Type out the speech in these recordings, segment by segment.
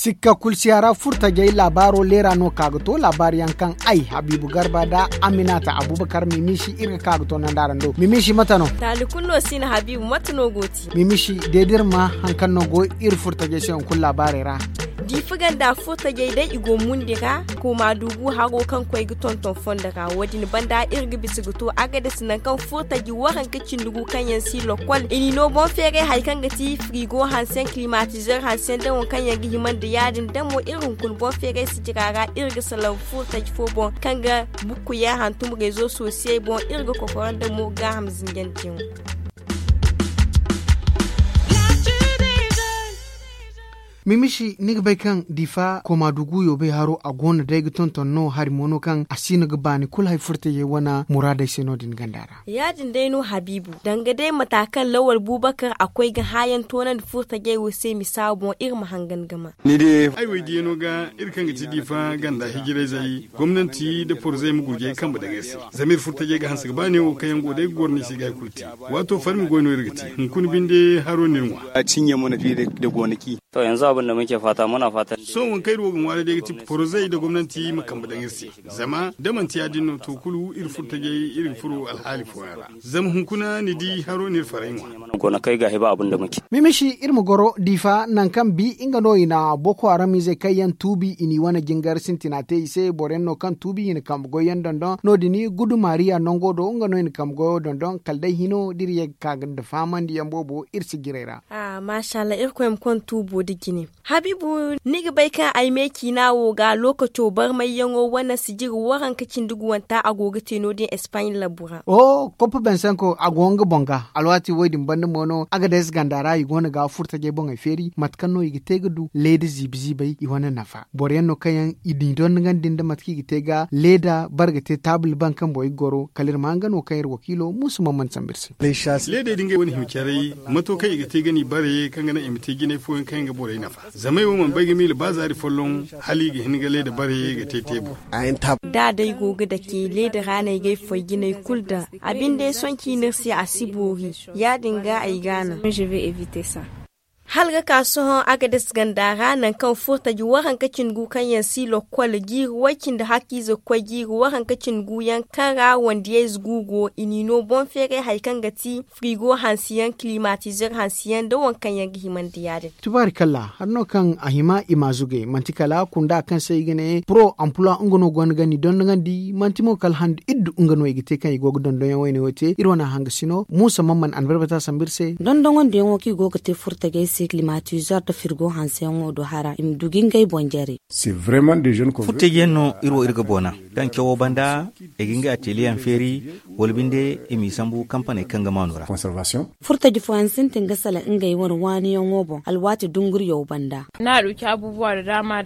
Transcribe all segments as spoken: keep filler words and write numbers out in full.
Sikka kulu si a ra furtajey laabaaro leera no ka ga to laabaari yaŋ kaŋ ay habiibu garba nda aminata abubakar mimiisi iri ga ka ga to nanda araŋ do mimiisi mate no. Taali kulu no si na habiibu mate no go ti. Mimiisi deedirma hari kaŋ no go iri furtajey se hunkuna laabaarey ra. Diifa ganda furtajey day i go mundi ra. Kooma duugu haro kaŋ koy ga tonton fondo ra wo- din banda iri ga bisa ga to agades nangu kaŋ furtaji waranka cindi gu kaŋ yaŋ si lokkol i n'i no boŋ feeray hari kaŋ ga ti firigo hanse yaŋ kilimatizer hanse yaŋ da waŋ kaŋ yaŋ ga hima nda ya- din da mo iri hunkuna boŋ feeray sijira ra iri ga salaŋ furtaji fo boŋ kaŋ ga bukku yaŋ hantum rezo sosiyey boŋ iri ga kokoro nda mo gaaham zinjandiyaŋo. Mimiisi ni ga bay kaŋ diifa kooma dugu yoobey haro a go no day ga tonton no hari mo no kaŋ a si no ga baani kulu hari furtajey wane muraadey se no- din ganda ra. Ya- din day no habiibu danga day mata kaŋ lawal buubakar a koy ga haayaŋ toonandi furtajey wo se misa boŋ iri ma hangan ga ma. Ay wo ay diyaŋo ga iri kaŋ ga ti diifa ganda hijirayzey gomnanti nda porzey ma gurjey kambe daŋ iri se. Zama iri furtajey ga hanse ga ba neewo kaŋ yaŋ go day ga goro no i se ga hari kulu te. Waato farmi goy no iri ga te hunkuna binde haro no iri ŋwa. Sohõ waŋ kaŋ iri wo ga ŋwaaray day ga ti porozey nda gomnanti ma kambe daŋ iri se. Zama da manti ya- din no to kulu iri furtajey iri ga furo alhaali fooyaŋ ra. Zama hunkuna ni di haro no iri faray ŋwa. Mimiisi iri ma goro diifa nangu kaŋ bi nga no i na boko haramizey kaŋ yaŋ tuubi i n'i wane jingar sintina te i se boro yaŋ no kaŋ tuubi i na kambe goy yaŋ dondon no- din gudu maariya nango do nga no i na kambe goyo dondon kala day hino da iri ye ga ka nda fahamandi yaŋ boobo iri si jiray ra. Maasa allah irkoy ma konda tuubo nda jine. Habiibu, ni ga bay kaŋ ay me ciina wo ga lookaco barmayyaŋo wane sijiri waranka cindi guwanta a go ga te no- din espaɲ labu ra. Oho koppa bensenko a go nga boŋ ga alwaati wo- din banda mo no agades ganda ra i go no ga furtajey boŋey feeri mate kaŋ no i ga te ga du leeda ziibi ziibey i wane nafa boro yaŋ no kaŋ yaŋ i n'i dondogandi nda mate kaŋ i ga te ga leeda bare ga te taabul baŋ kaŋ boŋ i ga goro kala iri ma nga no kaŋ iri wakiilo muusa maman sambu iri se. Leedey da ngey wane hima caray mato kaŋ i ga te ga n'i bare kaŋ ga naŋ i ma te jinay fooyaŋ kaŋ yaŋ ga borey nafa. Zama ay wo mana bay ga miila ba zaari folloŋ hala i ga hin ga leeda bare ga te teebur. Da day go ga dake leeda ra no ay ga ay foy jinay kulu daŋ. A binde sohõ ciina iri se a si boori. Ya- din ga ay ga a naŋ. Hala ga ka sohõ agades ganda ra nangu kaŋ furtaji waranka cindi gu kaŋ yaŋ si lokkol jiiri way- cindi hakkiize ga koy jiiri waranka cindi gu yaŋ kaŋ ra wandiyayze gu go i n'i no boŋ feeray hari kaŋ ga ti firigo hansi yaŋ kilimatizer hansi yaŋ nda waŋ kaŋ yaŋ ga hima nda ya- din. Tubaari kalla hari no kaŋ a hima i ma zugay manti kala kunda kaŋ se i ga ne poro amploi nga no gonda ga ni dondogandi manti mo kala handa iddu nga no i ga te kaŋ i go ga dondonyaŋ wayne wo te iri wane hanga sino muusa mamman anbarbata sambu iri se. Dondongondiyaŋo kaŋ i go ga te furtajey se kilimatizer nda firgo hanseyaŋo do hara i ma du ga ngey boŋ jare. Furtajey yaŋ no iri wo iri ga boona kaŋ cawo banda i ga ngey ateliyeyaŋ feeri wala binde i m'i sambu kampaney kaŋ ga maanu ra. Furtaji fooyaŋ sintin ga salaŋ ngey wane waaniyaŋo boŋ alwaati dunguriyaw banda.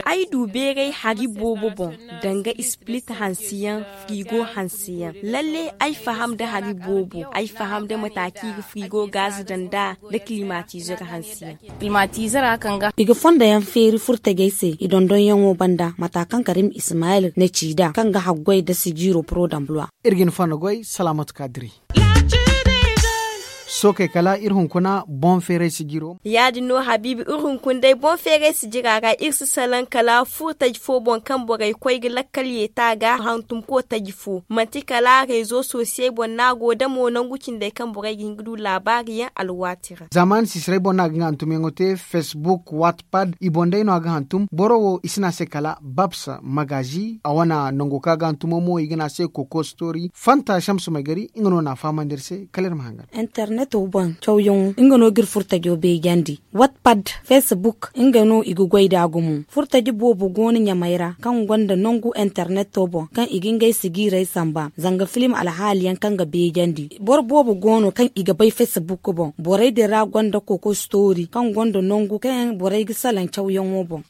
Ay du beeray hari boobo boŋ danga ispilit hansiyaŋ firigo hansiyaŋ lalle ay faham nda hari boobo ay faham nda mata kaŋ i ga firigo gaazi daŋ nd'a nda kilimatizer hansiyaŋ. I ga fondo yaŋ feeri furtajey se i dondonyaŋo banda mata kaŋ karim ismayil na ci nd'a kaŋ ga haggoy nda sijiiro poro dambuwa. Iri ga ni fondo goy salaamatu ka diri. Sookey kala iri hunkuna boŋ feeray sijiro. Ya- din no habiibi iri hunkuna day boŋ feeray sijira ra iri si salaŋ kala furtaji fo boŋ kaŋ borey koy ga lakkal yeeta ga hantum kootaji fo manti kala reezo sosiyey boŋ no a go da mo nangu cindey kaŋ borey ga hin ga du laabaari yaŋ alwaati ra. Zaamaani siisirey boŋ no a ga nga hantumyaŋo te fesbuk watpad i boŋ day no a ga hantum boro wo i si ne a se kala babs magazi a wane nango kaŋ a ga hantumo mo i ga ne a se koko story fanta shamsu maygari nga no na a fahamandi iri se kala iri ma hangan. Interneto boŋ cawyaŋo nga no ga iri furtajo beejandi. Watpad, fesbuk nga no i ga goy nd'a gumo. Furtaji boobo go no ɲamey ra kaŋ gonda nangu interneto boŋ kaŋ i ga ngey sijiirey samba zanga filim alhaaliyaŋ kaŋ ga beejandi. Boro boobo go no kaŋ i ga bay fesbuk boŋ borey din ra gonda koko story kaŋ gonda nangu kaŋ borey ga salaŋ cawyaŋo boŋ.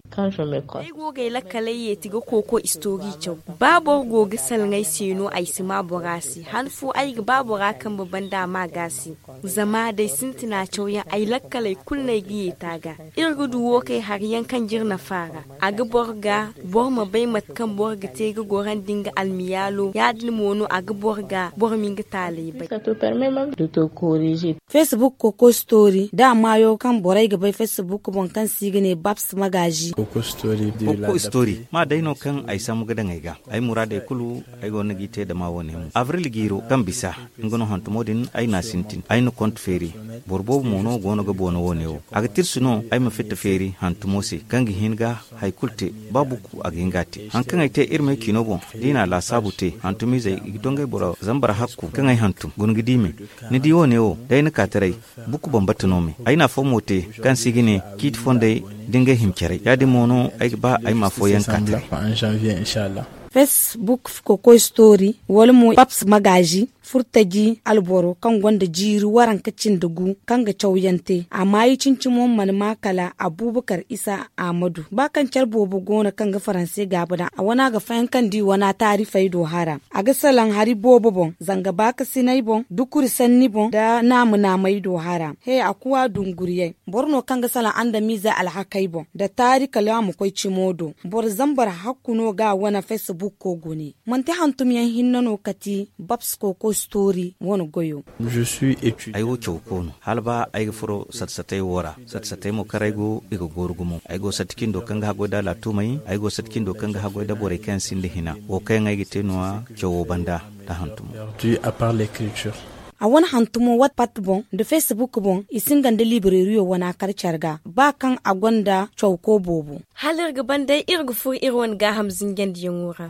Ay go ga ay lakkaley yeeti ga kooko istori caw. Ba boro go ga salaŋ ay se no ay si ma bora se han fo ay ga ba bora kambe banda a ma ga se. Zama day sintina cawyaŋ ay lakkaley kulu no ay ga yeeti a ga. Iri ga du wo kay hari yaŋ kaŋ jiri nafa ra. A ga boro ga boro ma bay mate kaŋ boro ga te ga gorandi nga almiyaalo ya- din mo no a ga boro ga boro ma nga taaley bay. Fesbuk koko story da maayo kaŋ borey ga bay fesbuk boŋ kaŋ se i ga ne babs magazi. Koko story ma day no kaŋ ay sambu ga daŋ ay ga ay muraadey kulu. Ay go no g'i te dama wo- ne mo avril jiiro kaŋ bisa nga no hantumo din ay n'a sintin ay na konte feeri. Boro boobo mo no go no ga boono wo- ne wo a ga tirsi no ay ma fitta feeri hantumo se kaŋ ga hin ga hari kulu te. Ba bukku a ga hin ga a te hari kaŋ ay te iri m'ay ciino boŋ da i n'a laasaabu te hantumizey i ga to ngey boro zambar hakku kaŋ ay hantum guna ga di me. Ni di wo- ne wo day ni ka taray bukku bambata no me ay na afo mo te kaŋ se i ga ne ciiti fondey da ngey hima caray ya- din mo no ay ga ba ay ma afooyaŋ ka taray. Fesbuk kokoy story wala mo paps magazi furtaji alboro kaŋ gonda jiiri waranka cindi gu kaŋ ga cawyaŋ te a maayi cincimo mana ma kala abubakar isa ahmadu ba kaŋ care boobo go no kaŋ ga faranse gaabi daŋ a wana ga fayaŋ kaŋ di wana taarifey do hara. A ga salaŋ hari boobo boŋ zanga baakasinay boŋ dukuri sanni boŋ nda naama naamey do hara he a kuwa dunguriyey. Boro no kaŋ ga salaŋ andamiizey alhakey boŋ nda taari kala a ma koy cimo do. Boro zambar hakku no ga a wane fesbukko gune manti hantumyaŋ hinne no kati babsko koy story wane goyo. Ay wo caw koono hala ba ay ga furo sat-satey wo ra. Sat-satey mo kaŋ ra ay go i ga gooru gumo ay go sat cindo kaŋ ga haggoy nda alaatumey ay go sat cindo kaŋ ga haggoy nda borey kaŋ yaŋ sinda hina wo kaŋ yaŋ ay ga te no- ya cawo banda nda hantumo. A wane hantumo whatsapp boŋ nda facebook boŋ i singa nda libreriyo wana kar care ga ba kaŋ a gonda cawko boobo. Hala iri ga ban day iri ga furo iri wane gaaham zinjandiyaŋo ra.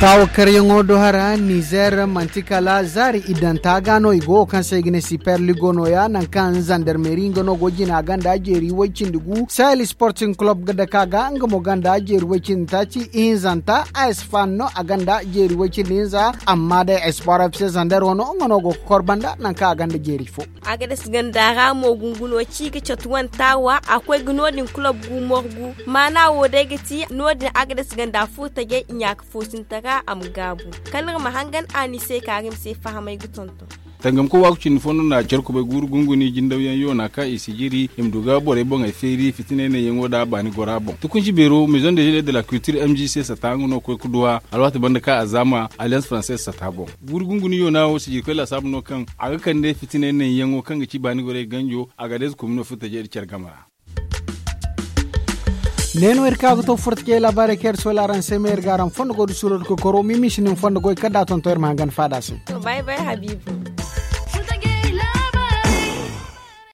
Taawakaryaŋo do hara nizer manti kala zaari idanta ga no i go kaŋ se i ga ne siper ligo no- ya nangu kaŋ zandarmeri nga no go jina ganda jeeri way-cindi gu sahel sporting club ga dake a ga nga mo ganda jeeri way-cindi taaci ihinzanta a espan no a ganda jeeri way-cindi hinza. Amma day espoir fc zander wano nga no go ga kor banda nangu kaŋ a ganda jeeri fo. Agades ganda ra mo gunguno ci ga catu wane taawa a koy ga no- din kulob gu morgu maana wo day ga ti no- din agades ganda furo tajay i ɲaaka foosinta ra a ma gaabu. Kala iri ma hangan a ni se kaari ma se fahamay ga tonton. Tangamko waaku cindi fo no na care kubay guuru gunguni jindawyaŋ yoona kaŋ i si jiri i ma du ga borey boŋey feeri fitinay naŋyaŋo nda a baani gora boŋ tukunci beero maison de jeu de la culture m g c sata nga no ga koy ga duwa alwaati banda kaŋ a zaama alliance française sata boŋ. Guuru gunguni yoona wo sijirkoy laasaabu no kaŋ a ga kande fitinay naŋyaŋo kaŋ ga ci baani gorey ganjo a ga deeze komino furo tajay nda care game ra. Ne no iri ka ga to furta ce laabaarey kaŋ iri sola araŋ se ma iri ga araŋ fondo goy da suuro da koy koro mimi si nin fondo goy kala da a tonton iri ma hangan faada se. Bay bay habiibu.